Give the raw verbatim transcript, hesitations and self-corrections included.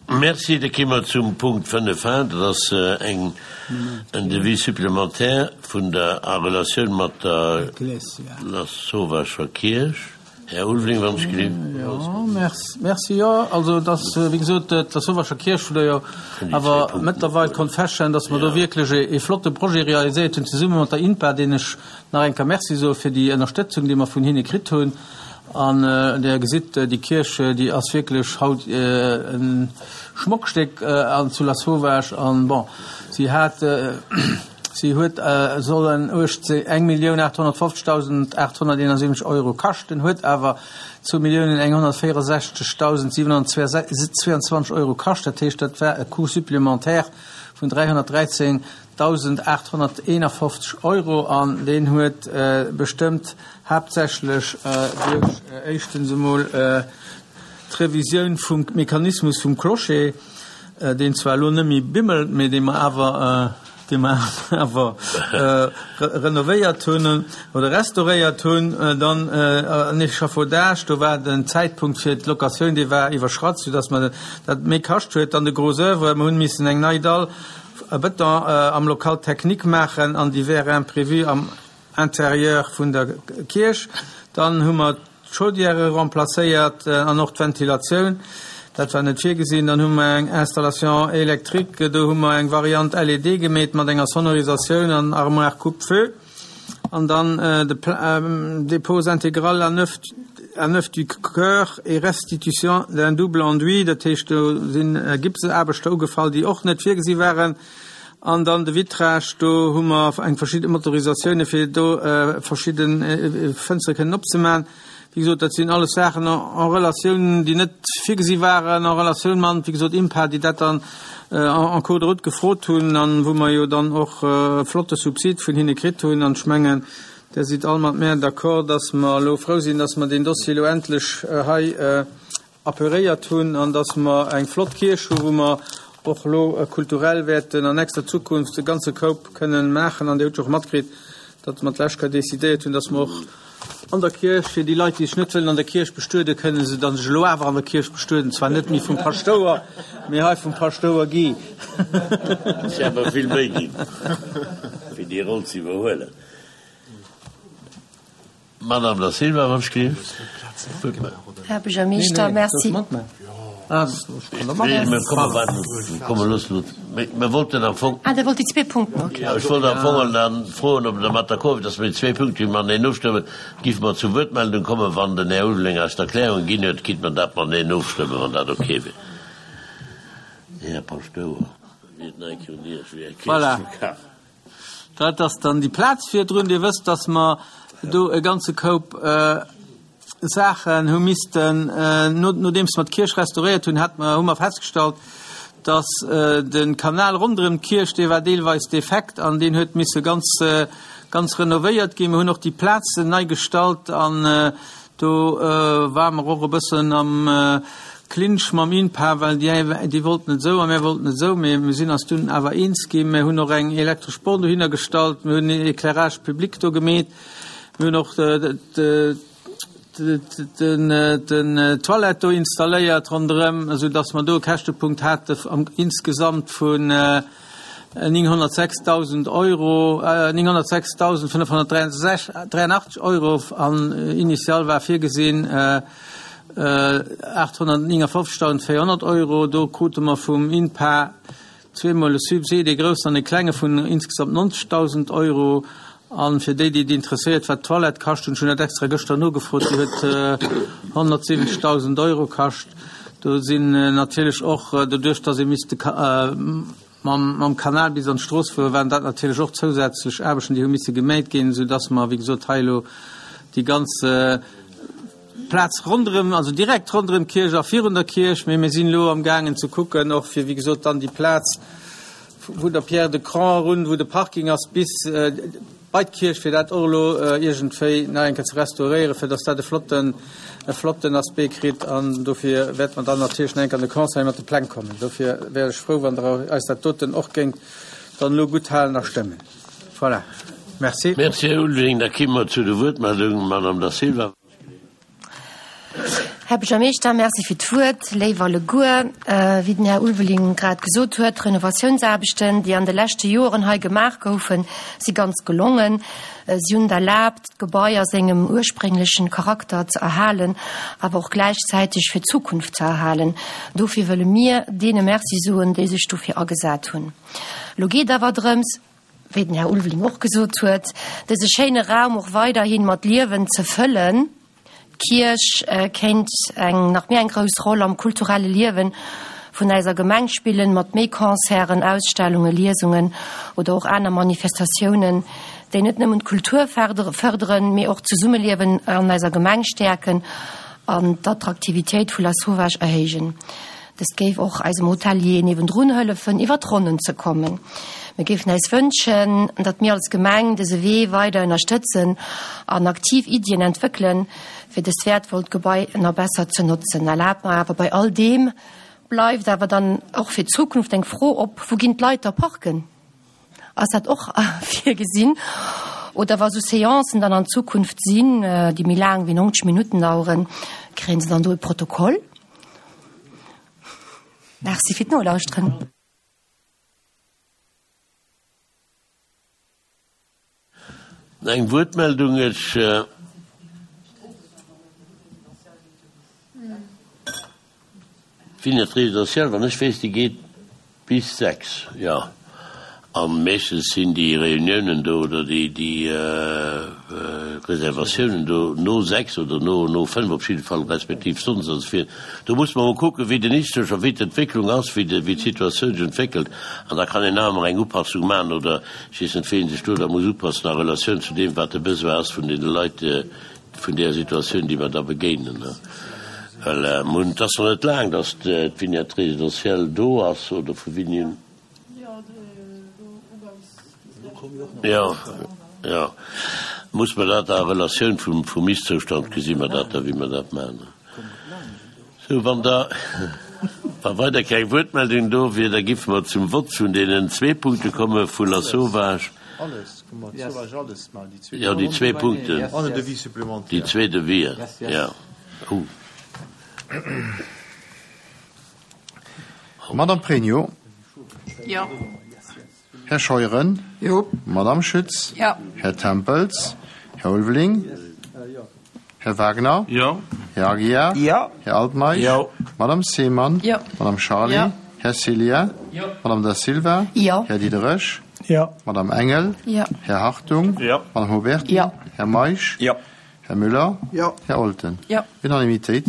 Merci. Da komme mer zum Punkt fënnef a, dat ass eng, en Devis supplémentaire vun der, a Relatioun mat der Lasauvagcher Kierch. Här Ulveling, wann ech gelift. Jo, merci, merci, jo. Also dat ass, wéi gesot, d'Lasauvagcher Kierch, wou Der jo awer mëttlerweil konnt feststellen, dass mer do wierklech e flotte Projet realiséiert hunn, zesumme mat der INPA, deenen ech nach eng Kéier Merci soe fir déi Ënnerstëtzung, déi mer vun hinne kritt hunn. An Der gesitt, déi Kierch, déi ass wierklech haut e Schmockstéck an zu Lasauvage. An, bon, si hat, si huet sollen eng Millioun aathonnertfofzegdausend aathonnerteenasiwwenzeg Euro kaschten, huet awer zwou Milliounen enghonnertvéierundsechzegdausend siwenhonnertzweiundzwanzeg Euro kascht. Dat heescht, dat war e Coût supplémentaire vun dräihonnertdräizéngdausend aathonnerteenafofzeg Euro. An deen huet bestëmmt haaptsächlech duerch éischtens emol d'Revisioun vum Mechanismus vum Clocher, deen zwar elo net méi bimmelt, mee dee mer awer, dee mer awer renovéiert hunn oder restauréiert hunn, dann en Échafaudage, do war den Zäitpunkt fir d'Locatioun, dee war iwwerschratt, soudass mer dat méi kascht huet. Dann de Gros œuvre, mer hunn missen eng nei Dall a Bëton am Local technique maachen an divers imprévus am Intérieur vun der Kierch. Dann hu mer d'Chaudière remplacéiert an och d'Ventilatioun. Dat war net virgesinn. Dann hu mer eng Installation électrique, do hu mer eng Variant L E D gemeet mat enger Sonorisatioun an Armoire coupe-feu. An dann de dépose intégrale à neuf, à neuf du chœur et restitution d'un double enduit. Dat heescht, do sinn Gipseaarbechter ugefall, déi och net virgesi waren. An dann de Vitrage, do hu mer eng verschidde Motorisatioune fir do verschidde Fënstere kënnen opzemaachen. Wéi gesot, dat sinn alles Saachen en Relatioun, déi net virgesi waren, en Relatioun mat, wéi gesot, INPA, déi dat dann en cours de route gefrot hunn an wou mer jo dann och e flotte Subsid vun hinne kritt hunn. An ech mengen, Der sidd all mat mär d'accord, dass mer elo frou sinn, dass mer deen Dossier elo endlech hei apuréiert hunn an dass mer eng flott Kierch hu wou mer och elo kulturell wäerten an nächster Zukunft e ganze Koup kënnen maachen. An Dir hutt jo och matkritt, datt mer d'lescht Kéier decidéiert hunn, dass mer och an der Kierch, fir déi Leit, déi sech net wëllen an der Kierch bestueden, kënnen se dann sech elo awer an der Kierch bestueden, zwar net méi vum Paschtouer, mee hei vum Paschtouer Guy. Ech awer vill méi ginn, fir déi Roll ze iwwerhuelen. Madame Da Silva, wann ech gelift. Här Buergermeeschter, merci. Nee, mir komme warten, komme los, mir wollten am Fong. Ah, Der wollt déi zwee Punkten, okay. Ja, ech wollt am Fong dann froen, ob der mat d'accord wier, dass mir déi zwee Punkte mateneen ofstëmmen. Giff mer zur Wuertmeldung kommen, wann den Här Ulveling eis d'Erklärung ginn huet, kinnt mer dat mateneen ofstëmmen, wann dat okay wier. Här Paschtouer, wéi et nei kéint Iech wéi eng Kierch Voilà. zu kafen. Dat ass dann déi Plaz virdrun. Dir wësst, dass mer do e ganze Koup Saachen hu missten, nodeems mer d'Kierch restauréiert hunn, hat mer, hu mer festgestallt, dass de Kanal ronderëm d'Kierch, dee war deelweis defekt an deen huet misse ganz, ganz renovéiert ginn. Mer hunn och déi Plazen nei gestallt an do ware mer och e bëssen am Clinch mam INPA, well déi, déi wollten et esou a mir wollten et esou, mee mir sinn eis dunn awer eens ginn. Mir hunn och eng elektresch Born dohinner gestallt, mir hunn en Éclairage public do gemeet, mir hunn och den, den Toilette do installéiert ronderëm, esou dass mer do e Käschtepunkt hate am insgesamt vun nénghonnertsechsdausend Euro, nénghonnertsechsdausendfënnefhonnertdräiundachtzeg Euro, an initial war virgesinn aathonnertnéngafofzegdausendvéierhonnert Euro. Do krute mer vum INPA zweemol e Subsid, ee groussen an e klenge vun insgesamt nonzegdausend Euro. An fir déi, déi et interesséiert, wat d'Toilette kascht, hunn ech hunn dat extra gëschter nogefrot, déi huet honnertsiwwenzegdausend Euro kascht. Do sinn natierlech och, doduerch datt ee misst de mam, mam Kanal bis an d'Strooss fueren, waren dat natierlech och zousätzlech Aarbechten, déi hu misse geméit ginn, soudass mer, wéi gesot, hei elo déi ganz Plaz ronderëm, also direkt ronderëm d'Kierch a virun der Kierch, mee mir sinn elo am gaangen ze kucken, och fir, wéi gesot, dann déi Plaz vun der Pierre de Cran erun, wou de Parking ass, bis bei d'Kierch, fir dat och elo iergendwéi nach eng Kéier ze restauréieren, fir dass dat e flotten, e flotten Aspect kritt. An dofir wäerte mer dann natierlech nach eng Kéier an de Conseil mat de Pläng kommen. Dofir wär ech frou, wann Der eis dat doten och géingt dann elo gutthalen a stëmmen. Voilà. Merci. Merci, Här Ulveling. Da komme mer zu de Wuertmeldungen. Madame Da Silva. Här Buergermeeschter, Merci fir d'Wuert. Léif alleguer, wéi den Här Ulveling grad gesot huet, d'Renovatiounsaarbechten, déi an de leschte Joren hei gemaach goufen, si ganz gelongen. Si hunn et erlaabt, d'Gebai a sengem ursprénglechen Charakter ze erhalen, awer och gläichzäiteg fir d'Zukunft ze erhalen. Dofir wëlle mir deene Merci soen, déi sech dofir agesat hunn. Elo geet awer drëms, wéi den Här Ulveling och gesot huet, dëse schéine Raum och weiderhi mat Liewen ze fëllen. D'Kierch kéint eng nach méi eng grouss Roll am kulturelle Liewen vun eiser Gemeng spillen, mat méi Concerten, Ausstellungen, Liesungen oder och aner Manifestatiounen, déi net nëmmen d'Kultur fërderen, mee och d'Zesummeliewen an eiser Gemeng stäerken an d'Attraktivitéit vu Lasauvage erhéijen. Dëst géif och eisem Hotelier niewendrun hëllefen, iwwer d'Ronnen ze kommen. Mir géifen eis wënschen, datt mir als Gemeng dëse Wee weider ënnerstëtzen an aktiv Iddien entwéckelen, fir dëst wäertvollt Gebai nach besser ze notzen. Erlaabt mer awer, bei all deem bleift awer dann och fir d'Zukunft eng Fro op, Wou ginn d'Leit da parken? Ass dat och virgesinn? Oder wa sou Seancen dann an Zukunft sinn, déi méi laang wéi neunzeg Minutten daueren, kréien se dann do e Protokoll? Merci fir d'Nolauschteren. Eng Wuertmeldung, Ech Vignette résidentielle, wann ech weess, déi geet bis sechs, jo. A meeschtens sinn déi Reuniounen do oder déi, déi Reservatiounen do no sechs oder no, no fënnf op jidde Fall, respektiv sonndes. Also fir, do muss mer emol kucken, wéi den Histosch a wéi d'Entwécklung ass, wéi de, wéi d'Situatioun sech entwéckelt. An da kann een nach ëmmer eng Upassung maachen oder ech weess net, wéi een sech do da muss upassen a Relatioun zu deem, wat de Besoin ass vun deene Leit, vun där Situatioun, déi mer da begéinen. Well mer hunn, et ass nach net laang, datt d'Vignette résidentielle do ass, oder vu wéini un? Jo, jo. Muss mer dat a Relatioun vum, vum Ist-Zoustand gesi mer dat da, wéi mer dat maachen. Sou, wann da, wa weider keng Wuertmeldung do wier, da giffe mer zum Vott vun deenen zwee Punkte komme vu Lasauvage. Jo, déi zwee Punkten, déi zwee Devis, jo. Oh. Madame Pregno. Jo. Här Scheuren. Jo. Madame Schütz. Jo. Här Tempels. Här Ulveling. Här Wagner. Jo. Här Aguiar. Jo. Här Altmeisch. Jo. Madame Seemann. Jo. Madame Charlé. Jo. Här Ceglia. Jo. Madame Da Silva. Jo. Här Diderich. Jo. Madame Engel. Jo. Här Hartung. Jo. Madame Huberti. Jo. Här Meisch. Jo. Här Müller. Jo. Här Olten. Jo. Unanimitéit.